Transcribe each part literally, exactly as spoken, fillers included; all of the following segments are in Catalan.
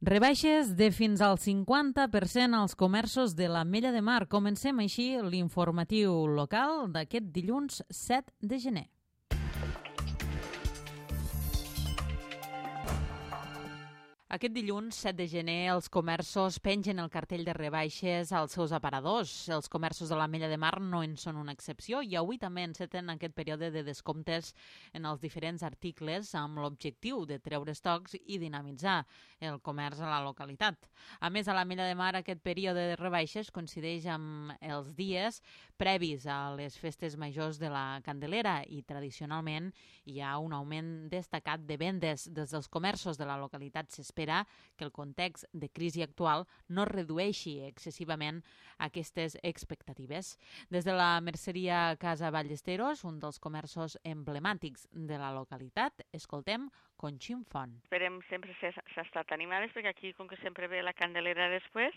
Rebaixes de fins al cinquanta per cent als comerços de l'Ametlla de Mar. Comencem així l'informatiu local d'aquest dilluns set de gener. Aquest dilluns, set de gener, els comerços pengen el cartell de rebaixes als seus aparadors. Els comerços de l'Ametlla de Mar no en són una excepció i avui també enceten aquest període de descomptes en els diferents articles amb l'objectiu de treure estocs i dinamitzar el comerç a la localitat. A més, a l'Ametlla de Mar aquest període de rebaixes coincideix amb els dies previs a les festes majors de la Candelera i tradicionalment hi ha un augment destacat de vendes des dels comerços de la localitat. S'espera que el context de crisi actual no redueixi excessivament aquestes expectatives. Des de la merceria Casa Ballesteros, un dels comerços emblemàtics de la localitat, escoltem Conxim Font. Esperem sempre ser estat animades perquè aquí, com que sempre ve la Candelera després,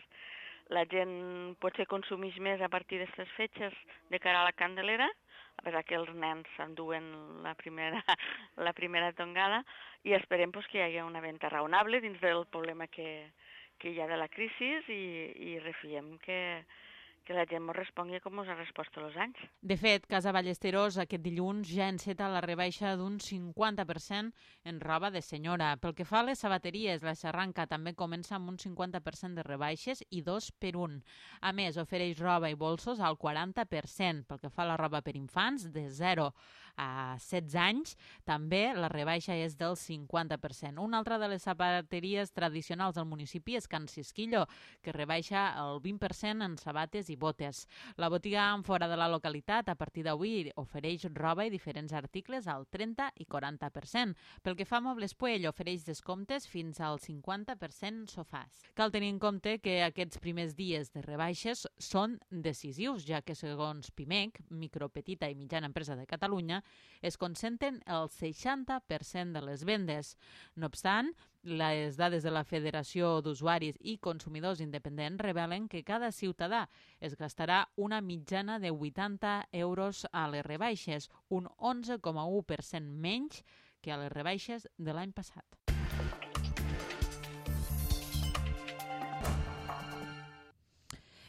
la gent potser consumeix més a partir d'aquestes fetges de cara a la Candelera, a pesar que els nens s'enduen la primera, la primera tongada, i esperem pues, que hi hagi una venda raonable dins del problema que, que hi ha de la crisi i, i refiem que, que la gent ens respongui com ens ha respost tots els anys. De fet, Casa Ballesteros aquest dilluns ja enceta la rebaixa d'un cinquanta per cent en roba de senyora. Pel que fa a les sabateries, la xarranca també comença amb un cinquanta per cent de rebaixes i dos per un. A més, ofereix roba i bolsos al quaranta per cent. Pel que fa a la roba per infants, de zero a setze anys, també la rebaixa és del cinquanta per cent. Una altra de les sabateries tradicionals del municipi és Can Cisquillo, que rebaixa el vint per cent en sabates i botes. La botiga fora de la localitat a partir d'avui ofereix roba i diferents articles al trenta i quaranta per cent. Pel que fa a Mobles Puell, ofereix descomptes fins al cinquanta per cent sofàs. Cal tenir en compte que aquests primers dies de rebaixes són decisius, ja que segons PIMEC, Micro, Petita i Mitjana Empresa de Catalunya, es concentren el seixanta per cent de les vendes. No obstant, les dades de la Federació d'Usuaris i Consumidors Independents revelen que cada ciutadà es gastarà una mitjana de vuitanta euros a les rebaixes, un onze coma u per cent menys que a les rebaixes de l'any passat.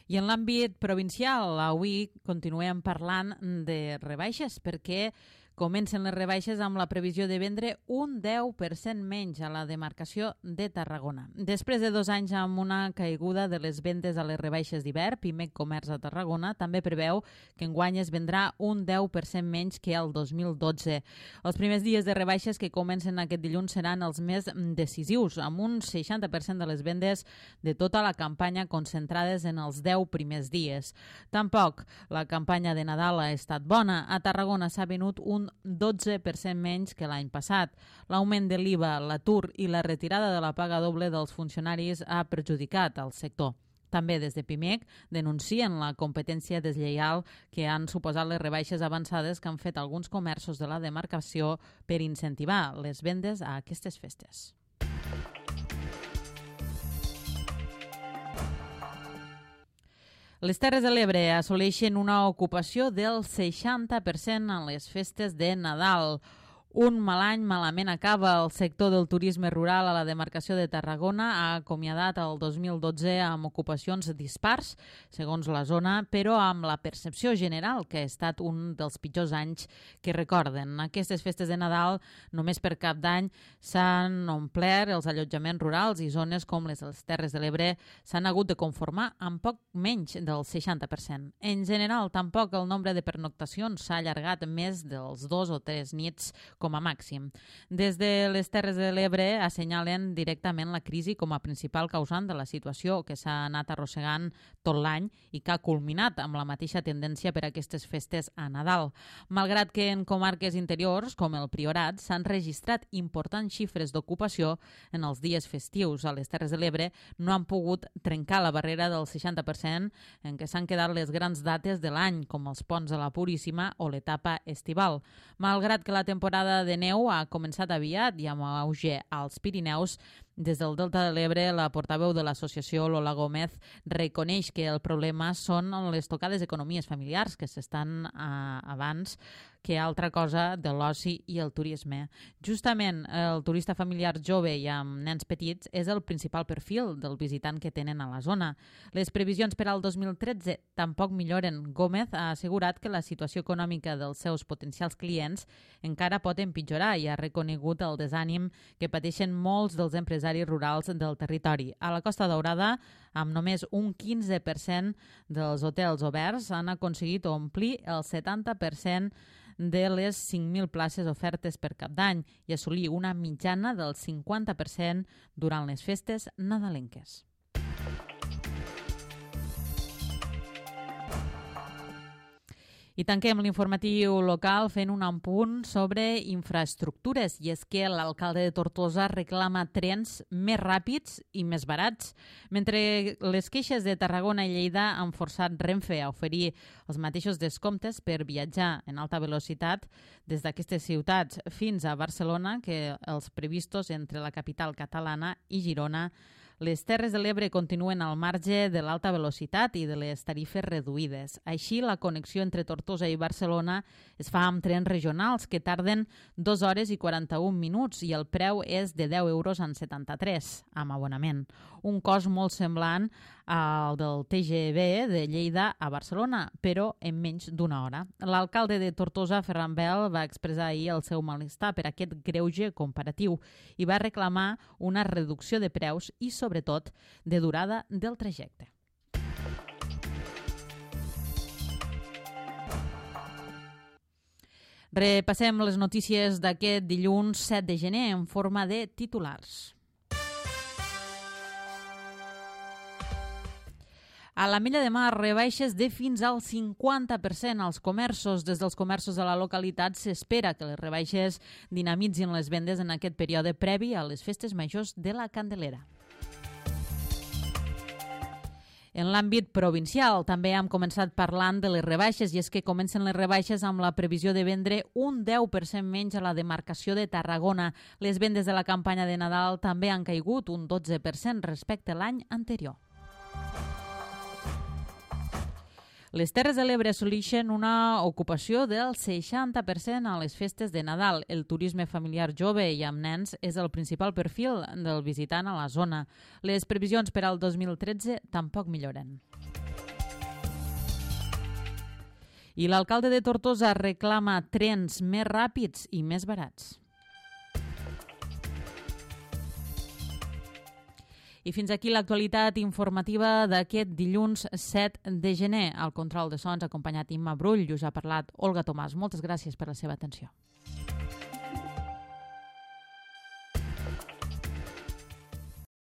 I en l'àmbit provincial, avui continuem parlant de rebaixes perquè comencen les rebaixes amb la previsió de vendre un deu per cent menys a la demarcació de Tarragona. Després de dos anys amb una caiguda de les vendes a les rebaixes d'hivern, PIMEC Comerç a Tarragona també preveu que enguany es vendrà un deu per cent menys que el dos mil dotze. Els primers dies de rebaixes que comencen aquest dilluns seran els més decisius, amb un seixanta per cent de les vendes de tota la campanya concentrades en els deu primers dies. Tampoc la campanya de Nadal ha estat bona. A Tarragona s'ha venut un dotze per cent menys que l'any passat. L'augment de l'I V A, l'atur i la retirada de la paga doble dels funcionaris ha perjudicat el sector. També des de PIMEC denuncien la competència deslleial que han suposat les rebaixes avançades que han fet alguns comerços de la demarcació per incentivar les vendes a aquestes festes. Les Terres de l'Ebre assoleixen una ocupació del seixanta per cent en les festes de Nadal. Un mal any malament acaba. El sector del turisme rural a la demarcació de Tarragona ha acomiadat el dos mil dotze amb ocupacions dispars, segons la zona, però amb la percepció general que ha estat un dels pitjors anys que recorden. Aquestes festes de Nadal, només per Cap d'Any, s'han omplert els allotjaments rurals i zones com les Terres de l'Ebre s'han hagut de conformar amb poc menys del seixanta per cent. En general, tampoc el nombre de pernoctacions s'ha allargat més dels dos o tres nits com a màxim. Des de les Terres de l'Ebre assenyalen directament la crisi com a principal causant de la situació que s'ha anat arrossegant tot l'any i que ha culminat amb la mateixa tendència per a aquestes festes a Nadal. Malgrat que en comarques interiors, com el Priorat, s'han registrat importants xifres d'ocupació en els dies festius a les Terres de l'Ebre, no han pogut trencar la barrera del seixanta per cent en què s'han quedat les grans dates de l'any, com els ponts de la Puríssima o l'etapa estival. Malgrat que la temporada de neu ha començat aviat i amb auge als Pirineus, Des del Delta de l'Ebre, la portaveu de l'associació, Lola Gómez, reconeix que el problema són les tocades economies familiars que s'estan eh, abans que altra cosa de l'oci i el turisme. Justament el turista familiar jove i amb nens petits és el principal perfil del visitant que tenen a la zona. Les previsions per al dos mil tretze tampoc milloren. Gómez ha assegurat que la situació econòmica dels seus potencials clients encara pot empitjorar i ha reconegut el desànim que pateixen molts dels empresaris rurals del territori. A la Costa Daurada, amb només un quinze per cent dels hotels oberts, han aconseguit omplir el setanta per cent de les cinc mil places ofertes per cap d'any i assolir una mitjana del cinquanta per cent durant les festes nadalenques. I tanquem l'informatiu local fent un apunt sobre infraestructures, i és que l'alcalde de Tortosa reclama trens més ràpids i més barats. Mentre les queixes de Tarragona i Lleida han forçat Renfe a oferir els mateixos descomptes per viatjar en alta velocitat des d'aquestes ciutats fins a Barcelona que els previstos entre la capital catalana i Girona, les Terres de l'Ebre continuen al marge de l'alta velocitat i de les tarifes reduïdes. Així, la connexió entre Tortosa i Barcelona es fa amb trens regionals que tarden dues hores i quaranta-un minuts i el preu és de deu euros en setanta-tres amb abonament. Un cost molt semblant al del T G V de Lleida a Barcelona, però en menys d'una hora. L'alcalde de Tortosa, Ferran Bel, va expressar ahir el seu malestar per aquest greuge comparatiu i va reclamar una reducció de preus i, sobretot, de durada del trajecte. Repassem les notícies d'aquest dilluns set de gener en forma de titulars. A l'Ametlla de Mar, rebaixes de fins al cinquanta per cent als comerços. Des dels comerços de la localitat s'espera que les rebaixes dinamitzin les vendes en aquest període previ a les festes majors de la Candelera. En l'àmbit provincial també hem començat parlant de les rebaixes, i és que comencen les rebaixes amb la previsió de vendre un deu per cent menys a la demarcació de Tarragona. Les vendes de la campanya de Nadal també han caigut un dotze per cent respecte a l'any anterior. Les Terres de l'Ebre assoleixen una ocupació del seixanta per cent a les festes de Nadal. El turisme familiar jove i amb nens és el principal perfil del visitant a la zona. Les previsions per al dos mil tretze tampoc milloren. I l'alcalde de Tortosa reclama trens més ràpids i més barats. I fins aquí l'actualitat informativa d'aquest dilluns set de gener. Al control de sons, acompanyat Imma Brull, us ha parlat Olga Tomàs. Moltes gràcies per la seva atenció.